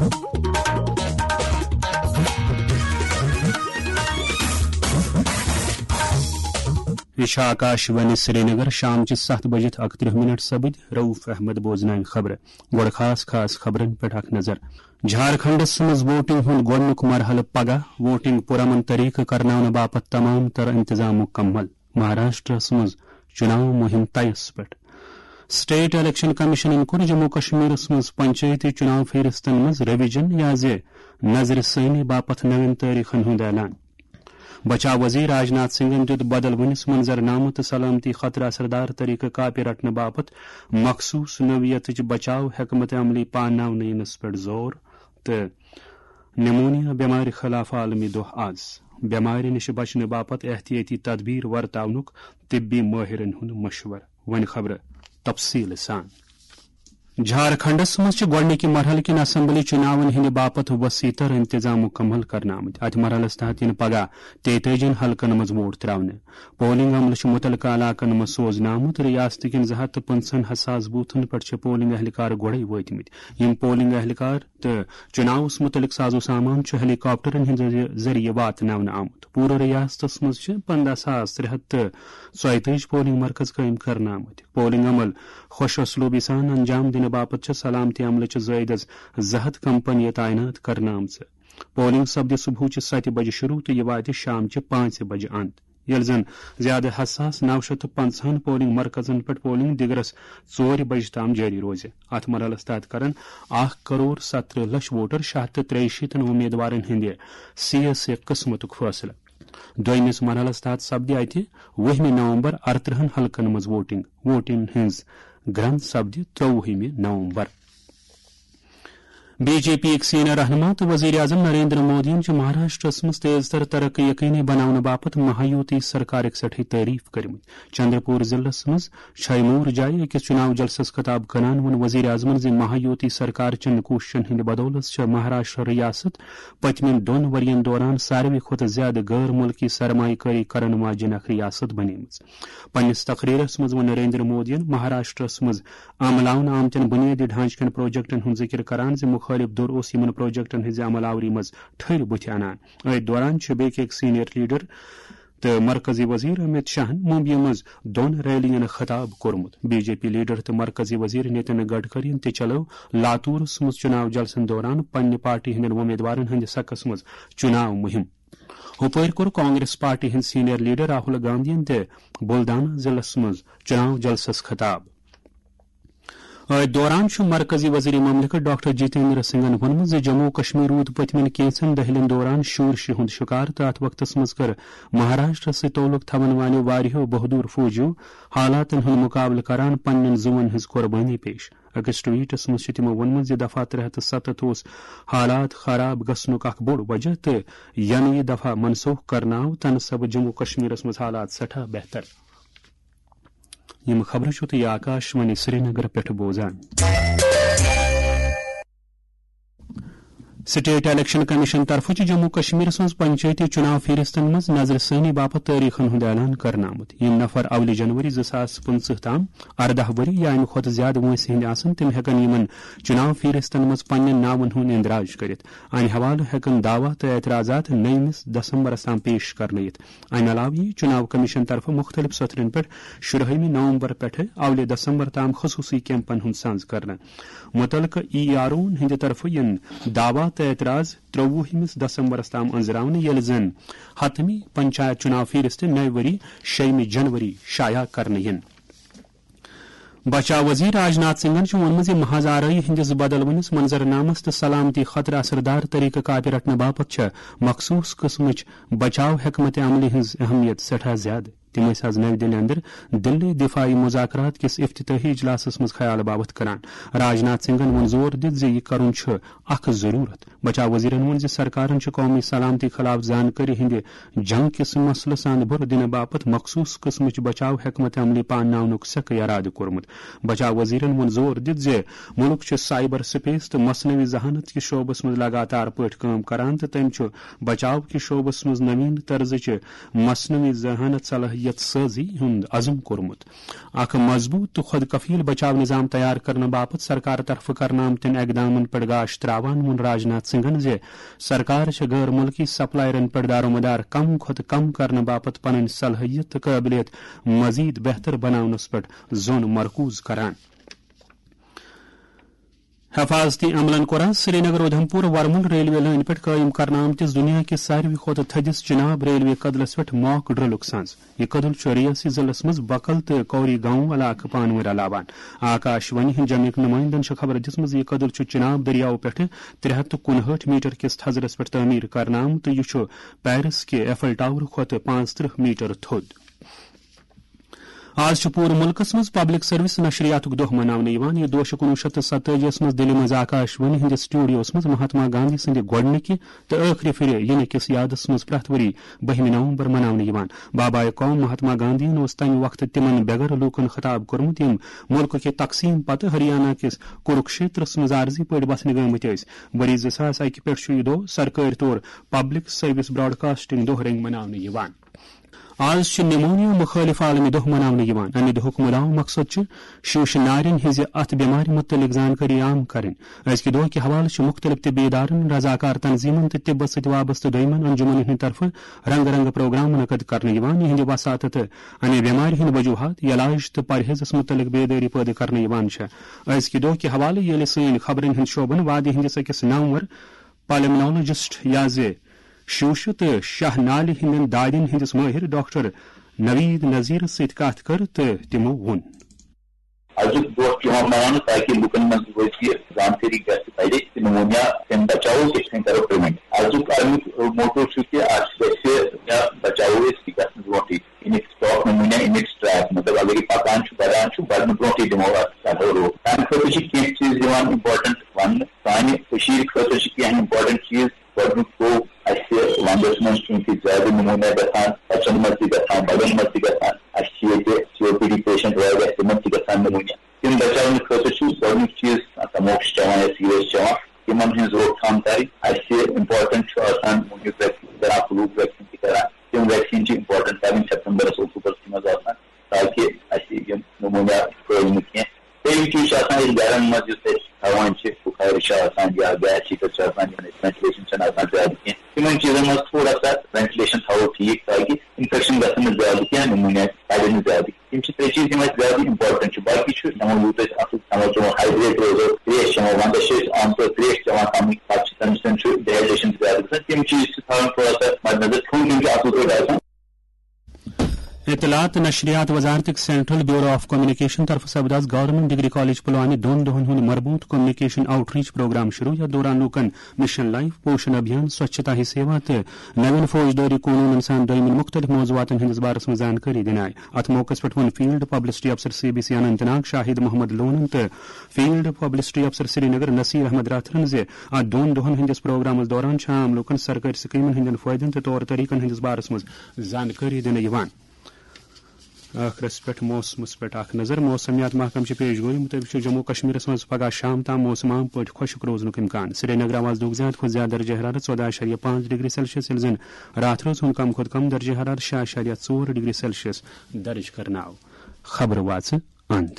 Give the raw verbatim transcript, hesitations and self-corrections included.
یہِ چھِ آکاش وانی سرینگر، شام چہِ ستھ بجہِ اکترٕہ منٹ سپٕدۍ۔ رؤف احمد بوزناوِ خبرٕ۔ گۄڈٕ خاص خاص خبرن پٮ۪ٹھ اکھ نظر۔ جھارکھنڈس منٛز ووٹنگ ہُنٛد گۄڈٕنیُک مرحلہٕ پگاہ۔ ووٹنگ پرامن طریقہٕ کرناونہٕ باپتھ تمام تر انتظام مکمل۔ مہاراشٹرس منٛز چُناو مُہِم طیس پٮ۪ٹھ۔ سٹیٹ الیکشن کمیشنن کوٚر جموں کشمیرس منٛز پنچایتی چُناو فہرستن منٛز ریویژن یا زِ نظرِ ثٲنی باپتھ نوٮ۪ن تٲریخن ہُنٛد اعلان۔ بچاو وزیر راجناتھ سنگھن دیُت بدلوٕنِس منظرنامہٕ تہٕ سلامتی خٲطرٕ اثردار طریقہٕ کاپہِ رٹنہٕ باپتھ مخصوص نوعیتٕچ بچاو حکمت عملی پاناونہٕ یِنس پٮ۪ٹھ زور تہٕ نمونیا بٮ۪مارِ خلاف عالمی دۄہ آز۔ بٮ۪مارِ نِش بچنہٕ باپتھ احتیاطی تدبیر ورتاونُک طبی مٲہرن ہُنٛد مشورٕ۔ وۄنۍ خبرٕ تفصیٖل سان۔ جھارکھنڈس منٛز چھِ گۄڈٕنِکہِ مرحلہٕ کِن اسمبلی چُناون ہٕنٛدِ باپتھ وسیع تر انتظام مُکمل کرنہٕ آمٕتۍ۔ اتھ مرحلس تحت یِن پگاہ تیتٲجی ہن حلقن منٛز ووٹ تراونہٕ۔ پولنگ عملہٕ چھُ مُتعلقہٕ علاقن منٛز سوزنہٕ آمُت۔ ریاست کٮ۪ن زٕ ہتھ تہٕ پٕنٛژٕہن حساس بوتھن پٮ۪ٹھ چھِ پولنگ اہلکار گۄڈَے وٲتمٕتۍ۔ یِم پولنگ اہلکار تہٕ چُناوس مُتعلق ساز و سامان چھُ ہیلی کاپٹرن ہٕنٛدِ ذٔریعہٕ واتناونہٕ آمُت۔ پوٗرٕ ریاستس منٛز چھِ پنٛداہ ساس ترٛےٚ ہتھ تہٕ ژۄیتٲجی پولنگ مرکز قٲیِم کرنہٕ آمٕتۍ۔ پولنگ عمل خۄش اسلوبی سان انجام دِنہٕ باپتھ چھِ سلامتی عملہٕ چہِ زٲیدس زٕ ہتھ کمپنیہِ تعینات کرنہٕ آمژٕ۔ پولنگ سپدِ صبحٕچہِ ستہِ بجہِ شروع تہٕ یہِ واتہِ شامچہِ پانٛژِ بجہِ اند، ییٚلہِ زن زیادٕ حساس نو شیٚتھ تہٕ پنٛژاہن پولنگ مرکزن پٮ۪ٹھ پولنگ دِگرس ژورِ بجہِ تام جٲری روزِ۔ اتھ مرحلس تحت کرن اکھ کرور ستترٕہ لچھ ووٹر شیٚے ہتھ تہٕ ترٛیہِ شیٖتن امیدوارن ہٕنٛدِ سی ایس اے قٕسمتُک فٲصلہٕ۔ دوٚیمِس مرحلس تحت سپدِ اتہِ وُہمہِ نومبر ارترٕہن حلقن منٛز ووٹنگ۔ ووٹنگ ہٕنٛز گرٛنٛد سپدِ ترٛوُہمہِ نومبر۔ بی جے پی یِکۍ سینئر رہنما تہٕ وزیر اعظم نریندر مودیَن چھِ مہاراشٹرس منٛز تیز تر ترقی یقینی بناونہٕ باپتھ مہایوتی سرکارٕکۍ سٮ۪ٹھٕے تعریف کٔرمٕتۍ۔ چندرپور ضلعس منٛز چھیمور جایہِ أکِس چُناو جلسس خطاب کران ووٚن وزیر اعظمن زِ مہایوتی سرکار چٮ۪ن کوٗششن ہٕنٛدِ بدولتھ چھےٚ مہاراشٹر ریاست پٔتمٮ۪ن دۄن ؤرین دوران ساروی کھۄتہٕ زیادٕ غٲر مُلکی سرمایہ کٲری کرن واجٮ۪ن اکھ ریاست بنیمٕژ۔ پننِس تقریرس منٛز ووٚن نریندر مودیَن مہاراشٹرس منٛز عملاونہٕ آمتٮ۪ن بنیٲدی ڈھانچہٕ کٮ۪ن پروجیکٹن ہُنٛد ذِکِر کران زِ مُخٲلِف دھُر اوس یِمن پروجیکٹن ہٕنٛزِ عمل آوری منٛز ٹھٔرۍ بُتھِ انان۔ أتھۍ دوران چھِ بی کے یِکۍ سینئر لیڈر تہٕ مرکزی وزیر امت شاہن ممبیہِ منٛز دۄن ریلین خطاب کوٚرمُت۔ بی جے پی لیڈر تہٕ مرکزی وزیر نتن گڈکرین تہِ چلٲو لاتورس منٛز چُناو جلسن دوران پننہِ پارٹی ہٕنٛدٮ۪ن وۄمیدوارن ہٕنٛدِ سکس منٛز چُناو مُہِم۔ ہُپٲرۍ کوٚر کانگریس پارٹی ہٕنٛدۍ سینئر لیڈر راہل گاندھین تہِ بُلدانہ ضلعس منٛز چُناو جلسس خطاب۔ أتھۍ دوران چھُ مرکزی وزیر مملکت ڈاکٹر جتیندر سنگھن ووٚنمُت زِ جموں و کشمیر روٗد پٔتمٮ۪ن کینٛژن دٔہلٮ۪ن دوران شورشہِ ہُنٛد شکار تہٕ اتھ وقتس منٛز کٔر مہاراشٹرس سۭتۍ تعلق تھاون والٮ۪و واریاہو بہادر فوجیو حالاتن ہُنٛد مقابلہٕ کران پننٮ۪ن زُوَن ہٕنٛز قربٲنی پیش۔ أکِس ٹویٹس منٛز چھُ تِمو ووٚنمُت زِ دفعہ ترٛےٚ ہتھ تہٕ ستتھ اوس حالات خراب گژھنُک اکھ بوٚڑ وجہ تہٕ ینہٕ یہِ دفعہ منسوخ کرنہٕ آو، تنہٕ سبہٕ جموں کشمیرس منٛز حالات سٮ۪ٹھاہ بہتر۔ یِم خبرٕ چھِو تُہۍ آکاش وانی سرینگر پٮ۪ٹھ بوزان۔ سٹیٹ الیکشن کمیشن طرفہٕ چھُ جموں کشمیرس منٛز پنچایتی چُناو فہرستن منٛز نظرِ ثٲنی باپتھ تٲریخن ہُنٛد اعلان کرنہٕ آمُت۔ یِم نفر اولہِ جنوری زٕ ساس پٕنٛژٕہ تام ارداہ ؤری یا امہِ کھۄتہٕ زیادٕ وٲنٛسہِ ہٕنٛدۍ آسن، تِم ہٮ۪کن یِمن چُناو فہرستن منٛز پننٮ۪ن ناون ہُنٛد اندراج کٔرِتھ۔ امہِ حوالہٕ ہٮ۪کن دعویٰ تہٕ اعتراضات نٔیمِس دسمبرس تام پیش کرنہٕ یِتھ۔ امہِ علاوٕ یِیہِ چُناو کمیشن طرفہٕ مُختٔلِف سطرن پٮ۪ٹھ شُرہٲیمہِ نومبر پٮ۪ٹھٕ اولہِ دسمبر تام خصوٗصی کیمپن ہُنٛد سنز کرنہٕ۔ مُتعلقہٕ ای آر اوہن ہٕنٛدِ طرفہٕ یِن دعویٰ تہٕ اعتراض ترٛوُہمِس دسمبرس تام أنٛزراونہٕ، ییٚلہِ زن حتمی پنچایت چُناو فہرست نَیہِ ؤری شیٚیِمہِ جنوری شایع کرنہٕ یِن۔ بچاو وزیر راجناتھ سنگھن چھُ ووٚنمُت زِ محض آرٲیی ہٕنٛدِس بدلوٕنِس منظرنامس تہٕ سلامتی خٲطرٕ اثردار طریقہٕ کاپہِ رٹنہٕ باپتھ چھےٚ مخصوٗص قٕسمٕچ بچاو حکمت عملی ہٕنٛز اہمیت سٮ۪ٹھاہ زیادٕ۔ تِم ٲسۍ از نَوِ دِلہِ اندر دِلی دِفٲعی مذاکرات کِس افتتاحی اجلاسس منٛز خیال باوتھ کران۔ راجناتھ سنگھن ووٚن زور دِتھ زِ یہِ کرُن چھُ اکھ ضروٗرت۔ بچاو وزیرن ووٚن زِ سرکارن چھُ قومی سلامتی خلاف زانکٲری ہٕنٛدِ جنگ کِس مسلس اند بُرٕ دِنہٕ باپتھ مخصوٗص قٕسمٕچ بچاو حکمت عملی پانناونُک سخٕے ارادٕ کوٚرمُت۔ بچاو وزیرن ووٚن زور دِتھ زِ مُلک چھُ سائبر سپیس تہٕ مصنوعی ذہانت کِس شعبس منٛز لگاتار پٲٹھۍ کٲم کران تہٕ تٔمۍ چھُ بچاو کِس شعبس منٛز نوین طرزٕچہِ مصنوعی ذہانت صلاحیت یتھ سٲزی ہُنٛد عزم کوٚرمُت۔ اکھ مضبوط تہٕ خود کفیل بچاو نظام تیار کرنہٕ باپتھ سرکار طرفہٕ کرنہٕ آمتٮ۪ن اقدامن پٮ۪ٹھ گاش تراوان ووٚن راجناتھ سنگھن زِ سرکار چھےٚ غٲر مُلکی سپلائرن پٮ۪ٹھ دارومدار کم کھۄتہٕ کم کرنہٕ باپتھ پنٕنۍ صلٲحیت تہٕ قٲبلیت مزید بہتر بناونس پٮ۪ٹھ زون مرکوز کران۔ حفاظتی عملن کوٚر آز سرینگر اودھمپور ورمل ریلوے لٲنہِ پٮ۪ٹھ قٲیِم کرنہٕ آمتِس دُنیا کِس ساروی کھۄتہٕ تھٔدِس چناب ریلوے کدلس پٮ۪ٹھ mock drillُک سنز۔ یہِ کدل چھُ ریاسی ضلعس منٛز بکل تہٕ کوری گاؤں علاقہٕ پانہٕ ؤنۍ رلاوان۔ آکاش وانی ہٕنٛدۍ جمعیک نُمٲیندن چھےٚ خبر دِژمٕژ، یہِ کدل چھُ چناب دٔریاو پٮ۪ٹھٕ ترٛےٚ ہَتھ تہٕ کُنہٲٹھ میٹر کِس تھزرس پٮ۪ٹھ تعمیٖر کرنہٕ آمُت تہٕ یہِ چھُ پیرس کہِ ایفل ٹاور کھۄتہٕ پانٛژترٕٛہ میٹر تھوٚد۔ آز چھُ پوٗرٕ مُلکَس منٛز پبلک سروس نشریاتُک دۄہ مناونہٕ یِوان۔ یہِ دۄہ چھُ کُنوُہ شیٚتھ تہٕ ستٲجی یَس منٛز دِلہِ منٛز آکاش وانی ہٕنٛدِس سٹوڈیوَس منٛز مہاتما گاندھی سٕنٛدِ گۄڈٕنِکہِ تہٕ ٲخری پھِرِ یِنہٕ کِس یادَس منٛز پرٛٮ۪تھ ؤری بٔہمہِ نومبر مناونہٕ یِوان۔ بابائے قوم مہاتما گاندھیَن اوس تَمہِ وقتہٕ تِمَن بے گھر لوٗکَن خطاب کوٚرمُت، یِم مُلکہٕ کہِ تقسیٖم پتہٕ ہریانہ کِس کُروکشیترَس منٛز عارضی پٲٹھۍ بسنہٕ گٲمٕتۍ ٲسۍ۔ ؤری زٕ ساس اَکہِ پٮ۪ٹھ چھُ یہِ دۄہ سرکٲرۍ طور پبلک سروس براڈکاسٹنگ دۄہ رنگۍ مناونہٕ یِوان۔ آز چھُ نمونیا مخٲلف عالمی دۄہ مناونہٕ یِوان۔ امہِ دۄہُک مُدعا مقصد چھُ شیٖشہٕ نارٮ۪ن ہٕنٛزِ اَتھ بٮ۪مارِ مُتعلق زانکٲری عام کرٕنۍ۔ أزکہِ دۄہ کہِ حوالہٕ چھِ مُختٔلِف طبی ادارن، رضاکار تنظیٖمن تہٕ طبس سۭتۍ وابستہٕ دویمن انجمنن ہٕنٛدِ طرفہٕ رنگہٕ رنگہٕ پروگرام منعقد کرنہٕ یِوان، یِہنٛدِ وساطت تہٕ امہِ بٮ۪مارِ ہٕنٛدۍ وجوہات، علاج تہٕ پرہیزس مُتعلق بیدٲری پٲدٕ کرنہٕ یِوان چھےٚ۔ أزکہِ دۄہ کہِ حوالہٕ ییٚلہِ سٲنۍ خبرن ہٕنٛدۍ شعبن وادی ہٕنٛدِس أکِس نامور پلمنالوجسٹ یا زِ شوشہٕ تہٕ شاہ نالہِ ہٕنٛدٮ۪ن دادٮ۪ن ہٕنٛدِس مٲہِر ڈاکٹر نوید نذیرس سۭتۍ کتھ کٔر تہٕ تِمو ووٚن۔ ازیُک دۄہ چھُ یِوان مناونہٕ تاکہِ لُکن منٛز روزِ یہِ زانکٲری گژھِ بڑِ تہٕ نمونیا تَمہِ بچاوو کِتھ کٔنۍ کرو پریونٹ۔ ازیُک اَمیُک موٹو چھُ کہِ اَتھ گژھِ یا بچاوو أسۍ یہِ گژھنہٕ برونٹھٕے۔ اَمیُک سٹاک نمونیا، اَمیُک ٹریک، مطلب اگر یہِ پکان چھُ، بڑان چھُ، بڑنہٕ برونٹھٕے دِمو اَتھ کنٹرول۔ تَمہِ خٲطرٕ چھِ کینٛہہ چیٖز یِوان امپورٹنٹ وننہٕ۔ سانہِ کٔشیٖرِ خٲطرٕ چھِ کینٛہہ امپورٹنٹ چیٖز۔ گۄڈٕنیُک گوٚو، اَسہِ وَندَس منٛز چھُ ییٚتہِ زیادٕ نموٗنیا گژھان، بَچَن منٛز تہِ گژھان، بَڑٮ۪ن منٛز تہِ گژھان۔ اَسہِ چھِ ییٚتہِ سی او پی ڈی پیشنٹ واریاہ، تِمَن تہِ گژھان نموٗنیا۔ تِم بَچاونہٕ خٲطرٕ چھُ گۄڈٕنیُک چیٖز، تموک چھِ چٮ۪وان یا سِگریٹ چھِ چٮ۪وان، تِمَن ہٕنٛز روک تھام کَرٕنۍ۔ اَسہِ امپورٹنٹ چھُ آسان، یُس ویکسیٖن کَران، فلوٗک ویکسیٖن تہِ کَران، تِم ویکسیٖن چھِ امپورٹنٹ کَرٕنۍ سپتمبرَس، اکتوبرَس منٛز آسان، تاکہِ اَسہِ یِم نموٗنیا پھٲلۍ نہٕ کینٛہہ۔ ترٛیٚیِم چیٖز چھُ آسان، ییٚلہِ گرن منٛز یُس اَسہِ تھاوان چھِ، بُخارِ چھُ آسان یا گیس ہیٖٹر چھُ آسان، یِمن اَسہِ وینٹِلیشن چھَنہٕ آسان زیادٕ کینٛہہ، تِمن چیٖزن منٛز تھوڑا سا وینٹِلیشن تھاوو ٹھیٖک، تاکہِ انفیکشن گژھن نہٕ زیادٕ کینٛہہ، نموٗنیا پھٔہلہِ نہٕ زیادٕ۔ یِم چھِ ترٛےٚ چیٖز، یِم اَسہِ زیادٕ امپورٹنٹ چھِ۔ باقٕے چھُ، کھٮ۪مو یوٗت أسۍ اَصٕل کھٮ۪مو چٮ۪مو، ہایڈریٹ روزو، ترٛیش چٮ۪مو، وَندَس چھِ أسۍ عام طور ترٛیش چٮ۪وان کَمٕے، پَتہٕ چھِ تَمہِ سۭتۍ چھُ ڈِہایڈریشن تہِ زیادٕ گژھان۔ تِم چیٖز چھِ تھاوٕنۍ تھوڑا سا مدنظر۔ کھیوٚن چیوٚن چھُ اَصٕل پٲٹھۍ آسان۔ اطلاعات تہٕ نشریات وزارتٕکۍ سینٹرل بیورو آف کمیونیکیشن طرفہٕ سپداز گورنمنٹ ڈگری کالج پلوامہِ دۄن دۄہن ہُنٛد مربوط کمیونیکیشن آؤٹ ریچ پروگرام شروع، یتھ دوران لوٗکن مشن لائف، پوشن ابھیان، سوچھتا ہی سیوا تہٕ نوین فوجدٲری قونوٗنن سان دویمٮ۪ن مُختٔلِف موضوعاتن ہٕنٛدِس بارس منٛز زانکٲری دِنہٕ آیہِ۔ اتھ موقعس پٮ۪ٹھ ووٚن فیلڈ پبلسٹی افسر C B C Anant Nag Shahid Mohammad لونن تہٕ فیلڈ پبلسٹی افسر سرینگر نصیر احمد راتھرن زِ اتھ دۄن دۄہن ہٕنٛدِس پروگرامس دوران چھِ عام لوٗکن سرکٲرۍ سکیمن ہٕنٛدٮ۪ن فٲیدن تہٕ طور طریقن ہٕنٛدِس بارس منٛز زانکٲری دِنہٕ یِوان۔ ٲخرس پٮ۪ٹھ موسمس پٮ۪ٹھ اکھ نظر۔ موسمیات محکمہٕ چہِ پیش گویی مُطٲبِق چھُ جموں کشمیرس منٛز پگہہ شام تام موسم عام پٲٹھۍ خۄشک روزنُک امکان۔ سرینگر آواز دۄہُک زیادٕ کھۄتہٕ زیادٕ درجہ حرارت ژۄداہ اعشاریہ پانٛژھ ڈگری سیلسیس، ییٚلہِ زن راتھ رٲژ ہُنٛد کم کھۄتہٕ کم درجہ حرارت شےٚ اعشاریہ ژور ڈگری سیلسیس درج کرنہٕ آو۔ خبرٕ واژٕ اند۔